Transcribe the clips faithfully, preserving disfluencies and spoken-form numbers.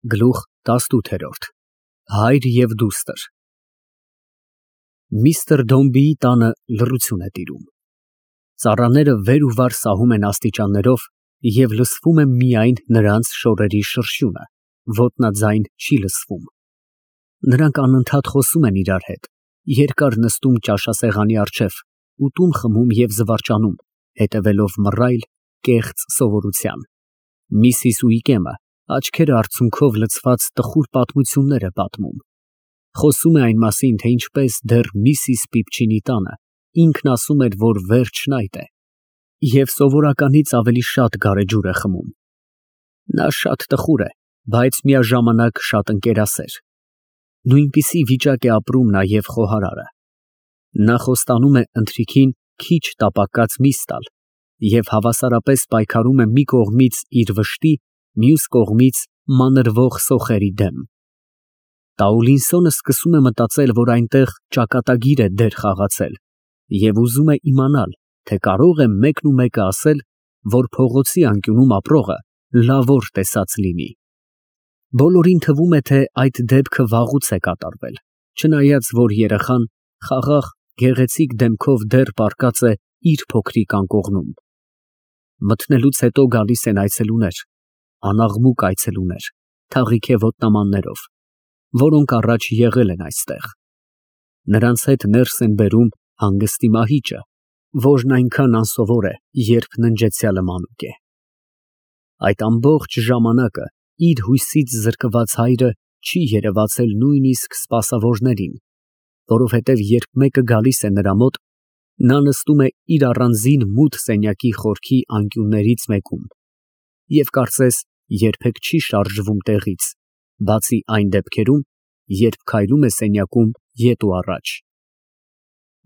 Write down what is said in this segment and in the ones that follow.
Գլուխ տասնութ։ Հայր և դուստր Միստր Դոմբիի տանը լռություն է տիրում։ Ծառաները վեր ու վար սահում են աստիճաններով և լսվում է միայն նրանց շորերի շրշյունը, ոտնաձայն չի լսվում։ Նրանք անընդհատ խոսում են իրար հետ, երկար նստում ճաշասեղանի առջև, ուտում խմում և զվարճանում, հետևելով մռայլ, կեղծ սովորության։ Միսիս Ուիկեմը աչքերը արցունքով լցված տխուր պատմություններ է պատմում։ Խոսում է այն մասին, թե ինչպես դեռ միսիս Պիպչինի տանը ինքն ասում էր, որ վերջն այդ է, և սովորականից ավելի շատ գարեջուր է խմում։ Նա շատ տխուր է, բայց միաժամանակ շատ ընկերասեր։ Նույնպիսի վիճակ է ապրում նաև խոհարարը։ Նա խոստանում է ընթրիքին քիչ տապակած միս տալ և հավասարապես պայքարում է մի կողմից իր վշտի, մյուս կողմից մանրվող սոխերի դեմ։ Տաուլինսոնը սկսում է մտածել, որ այնտեղ ճակատագիր է դեր խաղացել և ուզում է իմանալ, թե կարո՞ղ է մեկն ու մեկը ասել, որ փողոցի անկյունում ապրողը լավոր տեսած լինի։ Բոլորին թվում է, թե այդ դեպքը վաղուց է կատարվել, չնայած որ երեխան խաղաղ, գեղեցիկ դեմքով դեռ պառկած է իր փոքրիկ անկողնում։ Մթնելուց հետո գալիս են այցելուներ, անաղմուկ այցելուներ, թաղիթե ոտնամաններով, որոնք առաջ եղել են այստեղ։ Նրանց հետ ներս են բերում հանգստի մահիճը, որն այնքան անսովոր է, երբ ննջեցյալը մանուկ է։ Այդ ամբողջ ժամանակը իր հույսից զրկված հայրը չի երևացել նույնիսկ սպասավորներին, որովհետև երբ մեկը գալիս է նրա մոտ, նա նստում է իր առանձին մութ սենյակի խորքի անկյուններից մեկում և կարծես երբեք չի շարժվում տեղից, բացի այն դեպքերում, երբ քայլում է սենյակում ետ ու առաջ։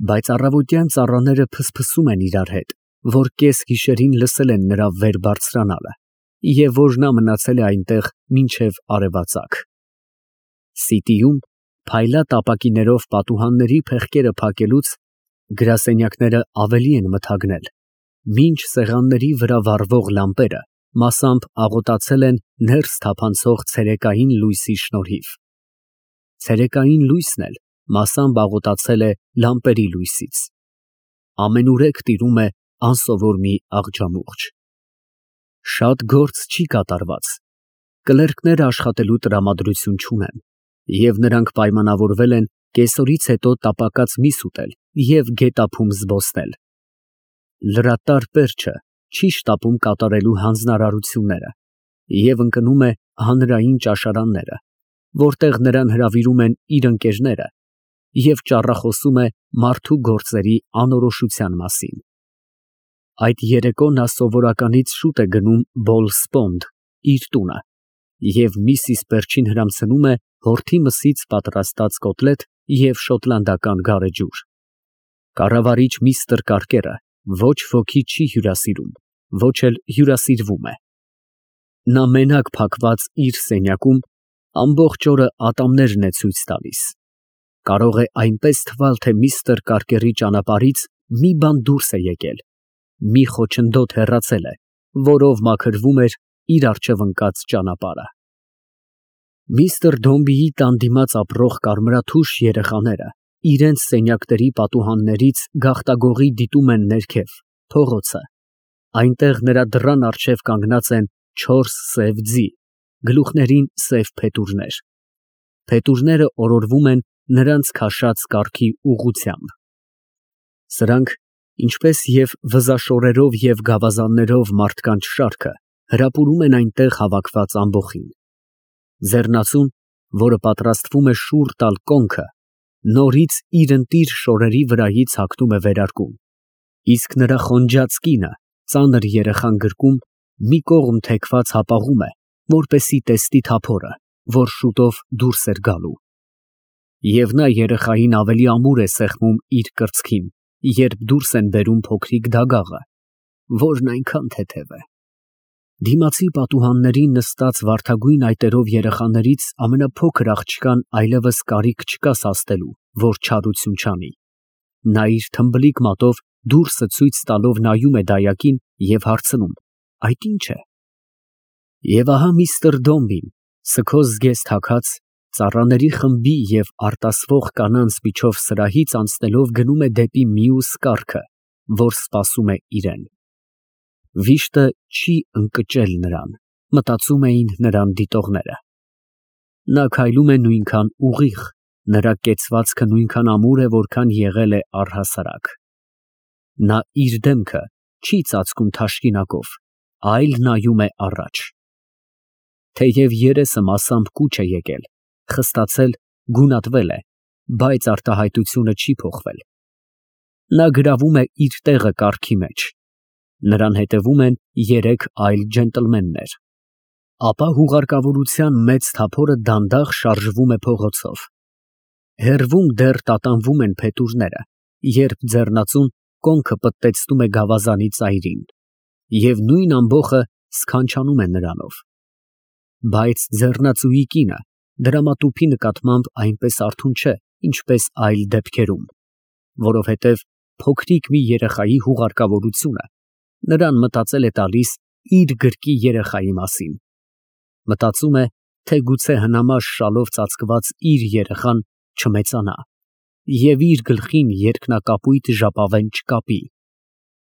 Բայց առավոտյան ծառաները փսփսում են իրար հետ, որ կեսգիշերին լսել են նրա վեր բարձրանալը և որ նա մնացել է այնտեղ մինչև արևածագ։ Սիտիում փայլատ ապակիներով պատուհանների փեղկերը փակելուց գրասենյակները ավելի են մթագնել, մինչ սեղանների վրա վառվող լամպերը մասամբ աղոտացել են ներս թափանցող ցերեկային լույսի շնորհիվ։ Ցերեկային լույսն էլ մասամբ աղոտացել է լամպերի լույսից։ Ամենուրեք տիրում է անսովոր մի աղջամուղջ։ Շատ գործ չի կատարված։ Կլերկները աշխատելու տրամադրություն չունեն, և նրանք պայմանավորվել են կեսօրից հետո տապակած միս ուտել և գետափում զբոսնել։ Լրատար պերճը չի շտապում կատարելու հանձնարարությունները և ընկնում է հանրային ճաշարանները, որտեղ նրան հրավիրում են իր ընկերները և ճառախոսում է մարդու գործերի անորոշության մասին։ Այդ երեկո նա սովորականից շուտ է գնում Բոլսպոնդ, իր տունը, և միսիս Պերչին հրամցնում է հորթի մսից պատրաստած կոտլետ և շոտլանդական գարեջուր։ Կառավարիչ միստր Կարկերը ոչ ոքի չի հյուրասիրում, ոչ էլ հյուրասիրվում է։ Նա մենակ փակված իր սենյակում ամբողջ օրը ատամներն է ցույց տալիս։ Կարող է այնպես թվալ, թե միստր Կարկերի ճանապարհից մի բան դուրս է եկել, մի խոչընդոտ հեռացել է, որով մաքրվում էր իր առջև ընկած ճանապարհը։ Միստր Դոմբիի տան դիմաց ապրող կարմրաթուշ երեխաները իրենց սենյակների պատուհաններից գաղտագողի դիտում են ներքև, փողոցը։ Այնտեղ նրա դռան առջև կանգնած են չորս սև ձի, գլուխներին սև փետուրներ։ Փետուրները օրորվում են նրանց քաշած կառքի ուղղությամբ։ Սրանք, ինչպես և վզաշորերով և գավազաններով մարդկանց շարքը, հրապուրում են այնտեղ հավաքված ամբոխին։ Ձեռնածուն, որը պատրաստվում է շուռ տալ կոնքը, նորից իր ընտիր շորերի վրայից հագնում է վերարկուն, իսկ նրա խոնջած կինը, ծանր երեխան գրկում, մի կողմ թեքված հապաղում է, որպեսզի տեսնի թափորը, որ շուտով դուրս էր գալու։ Եվ նա երեխային ավելի ամուր է սեղմում իր կրծքին, երբ դուրս են բերում փոքրիկ դագաղը, որն այնքան թեթև է։ Դիմացի պատուհաններին նստած վարդագույն այտերով երեխաներից ամենափոքր աղջկան այլևս կարիք չկա սաստելու, որ չարություն չանի։ Նա իր թմբլիկ մատով դուրսը ցույց տալով նայում է դայակին և հարցնում. այդ ի՞նչ է։ Եվ ահա միստր Դոմբին Սքոս զգեստ հագած, ծառաների խմբի և արտասվող կանանց միջով սրահից անցնելով գնում է դեպի մյուս կառքը, որ սպասում է իրան։ Վիշտը չի ընկճել նրան, մտածում էին նրան դիտողները։ Նա քայլում է նույնքան ուղիղ, նրա կեցվածքը նույնքան ամուր է, որքան եղել է առհասարակ։ Նա իր դեմքը չի ծածկում թաշկինակով, այլ նայում է առաջ։ Թեև երեսը մասամբ կուչ է եկել, խստացել, գունատվել է, բայց արտահայտությունը չի փոխվել։ Նա գրավում է իր տեղը կառքի մեջ։ Նրան հետևում են երեք այլ ջենտլմեններ։ Ապա հուղարկավորության մեծ թափորը դանդաղ շարժվում է փողոցով։ Հեռվում դեռ տատանվում են փետուրները, երբ ձեռնածուն կոնքը պտտեցնում է գավազանի ծայրին, և նույն ամբոխը սքանչանում է նրանով։ Բայց ձեռնածուի կինը դրամատուփի նկատմամբ այնպես արթուն չէ, ինչպես այլ դեպքերում, որովհետև փոքրիկ մի երեխայի հուղարկավորությունը նրան մտածել է տալիս իր գրկի երեխայի մասին։ Մտածում է, թե գուցե հնամաշ շալով ծածկված իր երեխան չմեծանա և իր գլխին երկնակապույտ ժապավեն չկապի,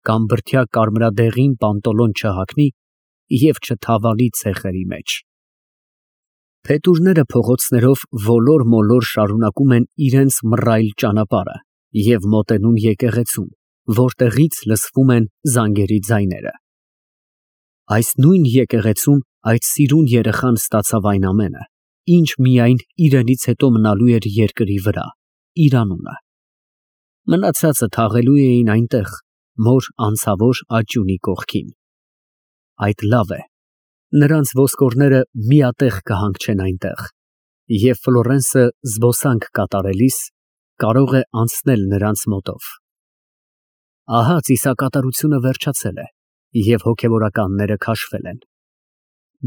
կամ բրդյա կարմրադեղին պանտոլոն չհագնի և չթավալի ցեխերի մեջ։ Փետուրները փողոցներով ոլոր֊մոլոր շարունակում են իրենց մռայլ ճանապարհը և մոտենում եկեղեցուն, որտեղից լսվում են զանգերի ձայները։ Այս նույն եկեղեցում այդ սիրուն երեխան ստացավ այն ամենը, ինչ միայն իրենից հետո մնալու էր երկրի վրա, իր անունը։ Մնացածը թաղելու էին այնտեղ, մոր անցավոր աճյունի կողքին։ Այդ լավ է, նրանց ոսկորները միատեղ կհանգչեն այնտեղ, և Ֆլորենսը զբոսանք կատարելիս կարող է անցնել նրանց մոտով։ Ահա ծիսակատարությունը վերջացել է, և հոգևորականները քաշվել են։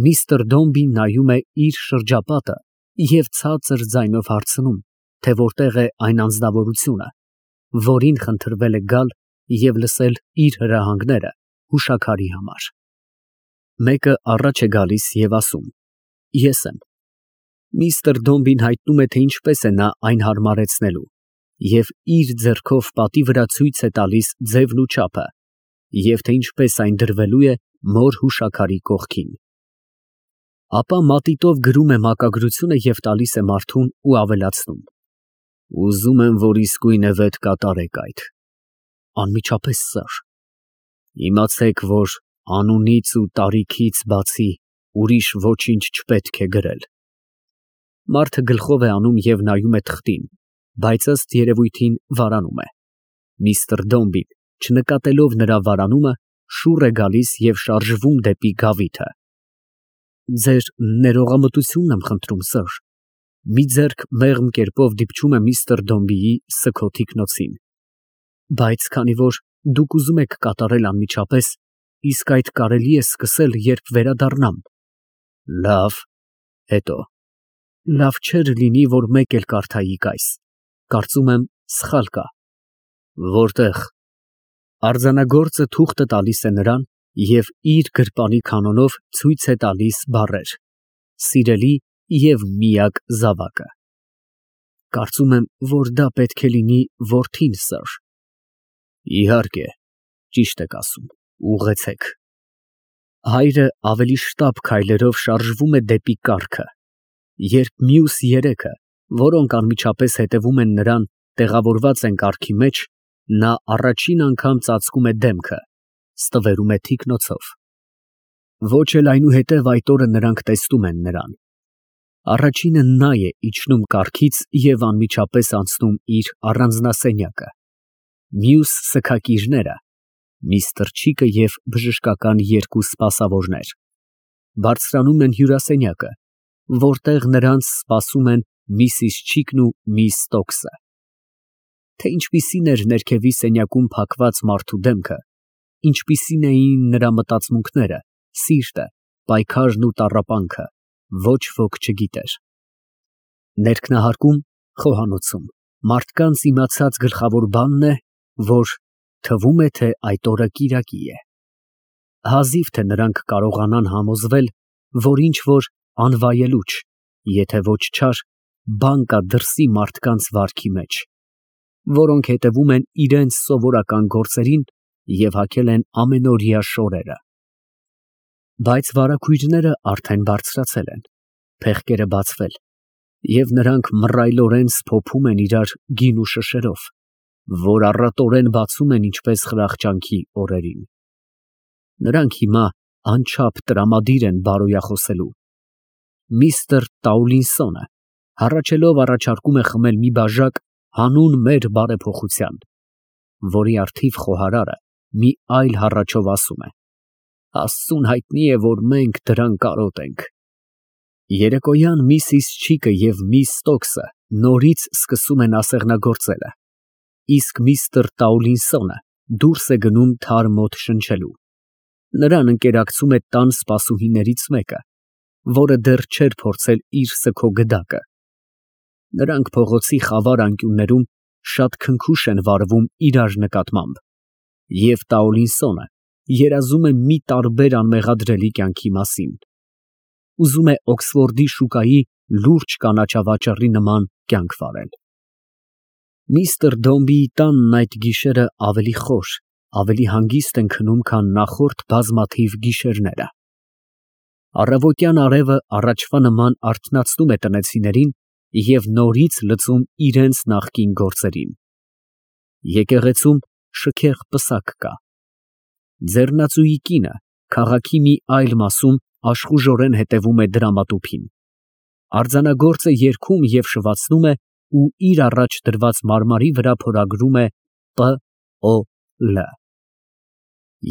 Միսթր Դոմբին նայում է իր շրջապատը և ցածր ձայնով հարցնում, թե որտեղ է այն անձնավորությունը, որին խնդրվել է գալ և լսել իր հրահանգները հուշաքարի համար։ Մեկը առաջ է գալիս և ասում. Ես եմ։ Միսթր Դոմբին հայտնում է, թե ինչպես է նա այն հարմարեցնելու, և իր ձեռքով պատի վրա ցույց է տալիս ձևն ու չափը, և թե ինչպես այն դրվելու է մոր հուշաքարի կողքին։ Ապա մատիտով գրում է մակագրությունը և տալիս է մարդուն ու ավելացնում. Ուզում եմ, որ իսկույն է վետ կատարեք այդ։ Անմիջապես, սըր։ Իմացեք, որ անունից ու տարիքից բացի ուրիշ ոչինչ չպետք է գրել։ Մարդը գլխով է անում և նայում է թղթին, բայց ըստ երևույթին վարանում է։ Միսթր Դոմբին, չնկատելով նրա վարանումը, շուռ է գալիս և շարժվում դեպի գավիթը։ Ձեր ներողամտությունն եմ խնդրում, սըր։ Մի ձեռք մեղմ կերպով դիպչում է միսթր Դոմբիի սգո թիկնոցին։ Բայց քանի որ դուք ուզում եք կատարել անմիջապես, իսկ այդ կարելի է սկսել, երբ վերադառնամ։ Լավ, հետո։ Լավ չէր լինի, որ մեկ էլ կարդայիք այս։ Կարծում եմ, սխալ կա։ Որտե՞ղ։ Արձանագործը թուղթը տալիս է նրան և իր գրպանի կանոնով ցույց է տալիս բառեր. սիրելի և միակ զավակը։ Կարծում եմ, որ դա պետք է լինի որդին, սըր։ Իհարկե, ճիշտ եք ասում, ուղղեցեք։ Հայրը ավելի շտապ քայլերով շարժվում է դեպի կառքը, երբ մյուս երեքը, որոնք անմիջապես հետևում են նրան, տեղավորված են կառքի մեջ, նա առաջին անգամ ծածկում է դեմքը, ստվերում է թիկնոցով։ Ոչ էլ այնուհետև այդ օրը նրանք տեսնում են նրան։ Առաջինը նա է իջնում կառքից և անմիջապես անցնում իր առանձնասենյակը։ Մյուս սգակիրները միստր Չիկը և բժշկական երկու սպասավորներ բարձրանում են հյուրասենյակը, որտեղ նրանց սպասում են միսիս Չիկն ու միս Ստոքսը։ Թե ինչպիսին էր ներքևի սենյակում փակված մարդու դեմքը, ինչպիսին էին նրա մտածմունքները, սիրտը, պայքարն ու տառապանքը, ոչ ոք չգիտեր։ Ներքնահարկում, խոհանոցում, մարդկանց իմացած գլխավոր բանն է, որ թվում է, թե այդ օրը կիրակի է։ Հազիվ թե նրանք կարողանան համոզվել, որ ինչ որ անվայելուչ, եթե ոչ չար, բան կա դրսի մարդկանց վարքի մեջ, որոնք հետևում են իրենց սովորական գործերին և հագել են ամենօրյա շորերը։ Բայց վարագույրները արդեն բարձրացել են, փեղկերը բացվել, և նրանք մռայլորեն սփոփում են իրար գինու շշերով, որ առատորեն բացում են ինչպես խրախճանքի օրերին։ Նրանք հիմա անչափ տրամադիր են բարոյախոսելու։ Միստր Տաուլինսոնը հառաչելով առաջարկում է խմել մի բաժակ հանուն մեր բարեփոխության, որի առթիվ խոհարարը մի այլ հառաչով ասում է. Աստծուն հայտնի է, որ մենք դրան կարոտ ենք։ Երեկոյան միսիս Չիկը և միս Ստոքսը նորից սկսում են ասեղնագործելը, իսկ միստր Տաուլինսոնը դուրս է գնում թար մոտ շնչելու։ Նրան ընկերակցում է տան սպասուհիներից մեկը, որը դեռ չէր փորձել իր սգո գդակը։ Նրանք փողոցի խավար անկյուններում շատ քնքուշ են վարվում իրար նկատմամբ, և Տաուլինսոնը երազում է մի տարբեր անմեղադրելի կյանքի մասին։ Ուզում է Օքսֆորդի շուկայի լուրջ կանաչավաճառի նման կյանք վարել։ Միստր Դոմբիի տանն այդ գիշերը ավելի խոր, ավելի հանգիստ են քնում, քան նախորդ բազմաթիվ գիշերները։ Առավոտյան արևը առաջվա նման արթնացնում է տնեցիներին և նորից լծում իրենց նախկին գործերին։ Եկեղեցում շքեղ պսակ կա։ Ձեռնածուի կինը քաղաքի մի այլ մասում աշխուժորեն հետևում է դրամատուփին։ Արձանագործը երգում և շվացնում է ու իր առաջ դրված մարմարի վրա փորագրում է Պ Օ Լ։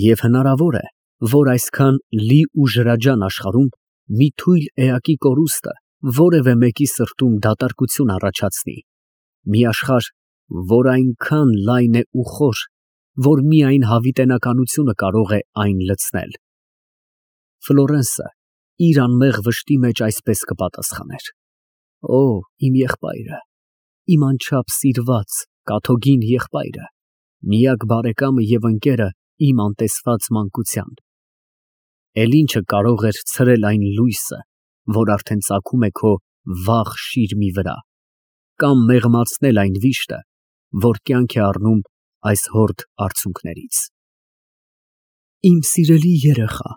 Եվ հնարավոր է, որ այսքան լի ու ջրաջան աշխարհում մի թույլ էակի կորուստը որևէ մեկի սրտում դատարկություն առաջացնի, մի աշխարհ, որ այնքան լայն է ու խոր, որ միայն հավիտենականությունը կարող է այն լցնել։ Ֆլորենսը իր անմեղ վշտի մեջ այսպես կպատասխաներ. Օ, իմ եղբայրը, իմ անչափ սիրված, կաթոկին եղբայրը, միակ բարեկամը և ընկերը իմ անտեսված մանկության։ Էլ ինչը կարող էր ցրել այն լույսը, որ արդեն ծագում է քո վաղ շիրմի վրա, կամ մեղմացնել այն վիշտը, որ կյանք է առնում այս հորդ արցունքներից։ Իմ սիրելի երեխա,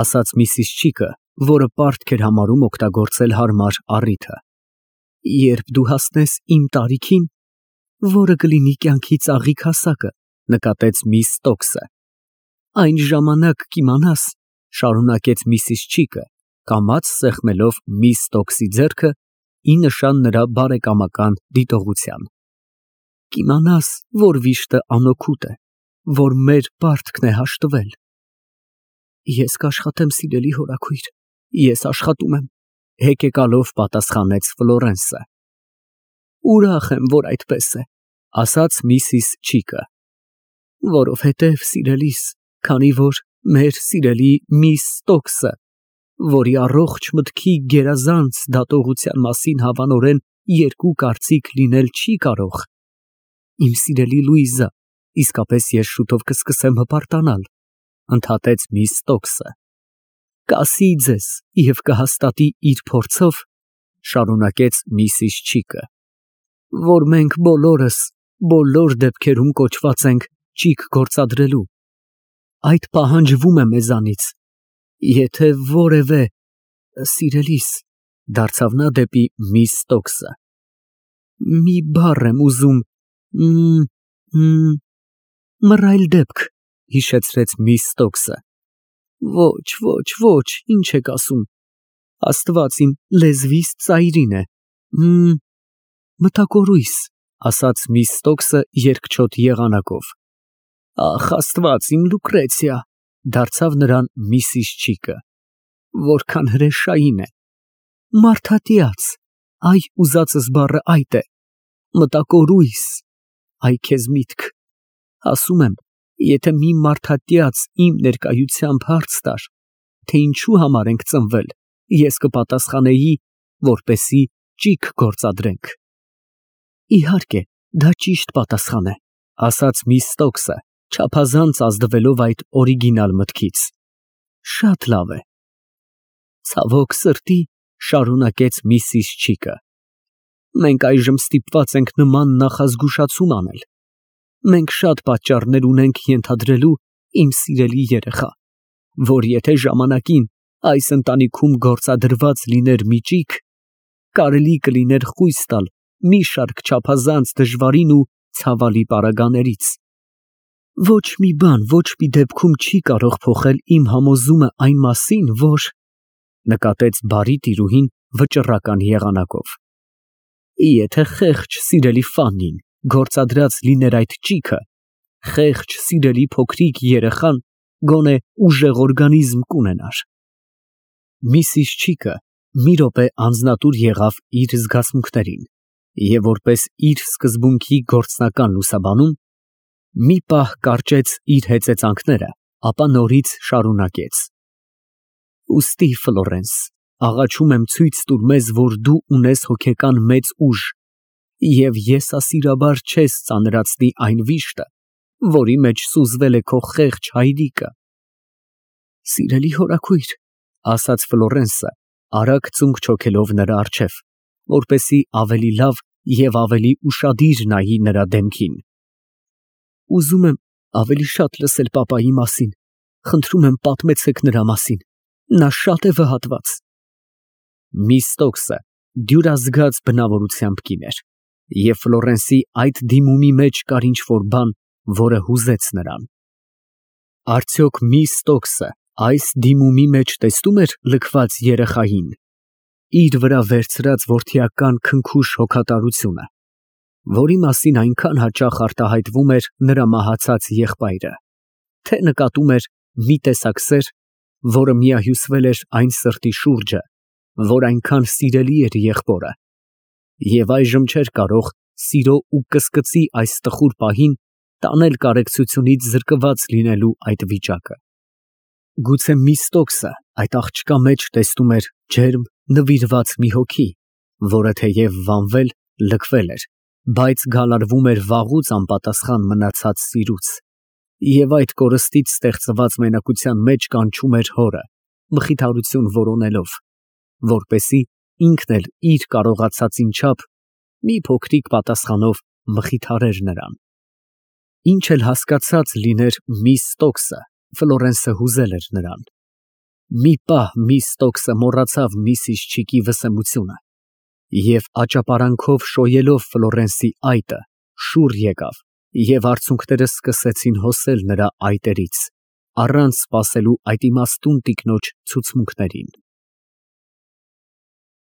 ասաց միսիս Չիկը, որը պարտք էր համարում օգտագործել հարմար առիթը, երբ դու հասնես իմ տարիքին, որը կլինի կյանքի ծաղիկ հասակը, նկատեց միս Ստոքսը, այն ժամանակ կիմանաս, շարունակեց միսիս Չիկը, կամաց սեղմելով միս Ստոքսի ձեռքը ի նշան նրա բարեկամական դիտողության, կիմանաս, որ վիշտը անօգուտ է, որ մեր պարտքն է հաշտվել։ Ես կաշխատեմ, սիրելի հորաքույր, ես աշխատում եմ, հեկեկալով պատասխանեց Ֆլորենսը։ Ուրախ եմ, որ այդպես է, ասաց միսիս Չիկը, որովհետև, սիրելիս, քանի որ մեր սիրելի միս Ստոքսը, որի առողջ մտքի գերազանց դատողության մասին հավանորեն երկու կարծիք լինել չի կարող, իմ սիրելի Լուիզա, իսկապես ես շուտով կսկսեմ հպարտանալ, ընդհատեց միս Ստոքսը, կասի ձեզ և կհաստատի իր փորձով, շարունակեց միսիս Չիկը, որ մենք բոլորս բոլոր դեպքերում կոչված ենք ճիգ գործադրելու, այդ պահանջվում է մեզանից, եթե որևէ, սիրելիս, դարձավ նա դեպի միս Ստոքսը, մի բառ եմ ուզում, մռայլ դեպք, հիշեցրեց միս Ստոքսը, ոչ, ոչ, ոչ, ինչ եք ասում, Աստված իմ լեզվիս ծայրին է, մտակորույս, ասաց միս Ստոքսը երկչոտ եղանակով, ախ, Աստված իմ Լուկրեցիա, դարձավ նրան միսիս Չիկը, որքան հրեշային է, մարդատյաց, այ ուզածս բառը այդ է, մտակորույս, այ քեզ միտք, ասում եմ, եթե մի մարդատյաց իմ ներկայությամբ հարց տար, թե ինչու համար ենք ծնվել, ես կպատասխանեի, որպեսզի ճիգ գործադրենք։ Իհարկե, դա ճիշտ պատասխան է, ասաց միս Ստոքսը, չափազանց ազդվելով այդ օրիգինալ մտքից։ Շատ լավ է։ Ցավոք սրտի, Շարունակեց միսիս Չիկը։ Մենք այժմ ստիպված ենք նման նախազգուշացում անել։ Մենք շատ պատճառներ ունենք ենթադրելու, իմ սիրելի երեխա, որ եթե ժամանակին այս ընտանիքում գործադրված լիներ մի ճիգ, կարելի կլիներ խույս տալ մի շարք չափազանց դժվարին ու ցավալի պարագաներից։ Ոչ մի բան ոչ մի դեպքում չի կարող փոխել իմ համոզումը այն մասին, որ… նկատեց բարի տիրուհին վճռական եղանակով։ Եթե խեղճ սիրելի Ֆաննին գործադրած լիներ այդ ճիգը, խեղճ սիրելի փոքրիկ երեխան գոնե ուժեղ օրգանիզմ կունենար։ Միսիս Չիկը մի րոպե անձնատուր եղավ իր զգացմունքներին և որպես իր սկզբունքի գործնական լուսաբանում, մի պահ կարճեց իր հեծեծանքները, ապա նորից շարունակեց. Ուստի, Ֆլորենս, աղաչում եմ ցույց տուր մեզ, որ դու ունես հոգեկան մեծ ուժ և եսասիրաբար չես ծանրացնի այն վիշտը, որի մեջ սուզվել է քո խեղճ հայրիկը։ Սիրելի հորաքույր, ասաց Ֆլորենսը, արագ ծունկ չոքելով նրա առջև, որպեսզի ավելի լավ և ավելի ուշադիր նայի նրա դեմքին։ Ուզում եմ ավելի շատ լսել պապայի մասին, խնդրում եմ պատմեցեք նրա մասին, նա շատ է վհատված։ Միս Ստոքսը դյուրազգաց բնավորությամբ կին էր, և Ֆլորենսի այդ դիմումի մեջ կար ինչ֊որ բան, որը հուզեց նրան։ Արդյոք միս Ստոքսը այս դիմումի մեջ տեսնում էր լքված երեխային, իր վրա վերցրած որդիական քնքուշ հոգատարությունը, որի մասին այնքան հաճախ արտահայտվում էր նրա մահացած եղբայրը, թե նկատում էր մի տեսակ սեր, որը միահյուսվել էր այն սրտի շուրջը, որ այնքան սիրելի էր եղբորը, և այժմ չէր կարող սիրո ու կսկծի այս տխուր պահին տանել կարեկցությունից զրկված լինելու այդ վիճակը։ Գուցե միս Ստոքսը այդ աղջկա մեջ տեսնում էր ջերմ նվիրված մի հոգի, որը թեև վանվել, լքվել էր, բայց գալարվում էր վաղուց անպատասխան մնացած սիրուց, և այդ կորստից ստեղծված մենակության մեջ կանչում էր հորը, մխիթարություն որոնելով, որպեսզի ինքն էլ իր կարողացածին չափ մի փոքրիկ պատասխանով մխիթարեր նրան։ Ինչ էլ հասկացած լիներ միս Ստոքսը, Ֆլորենսը հուզել էր նրան։ Մի պահ միս Ստոքսը մոռացավ միսիս Չիկի վսեմությունը և աճապարանքով շոյելով Ֆլորենսի այտը, շուռ եկավ և արցունքները սկսեցին հոսել նրա այտերից, առանց սպասելու այդ իմաստուն տիկնոջ ցուցմունքներին։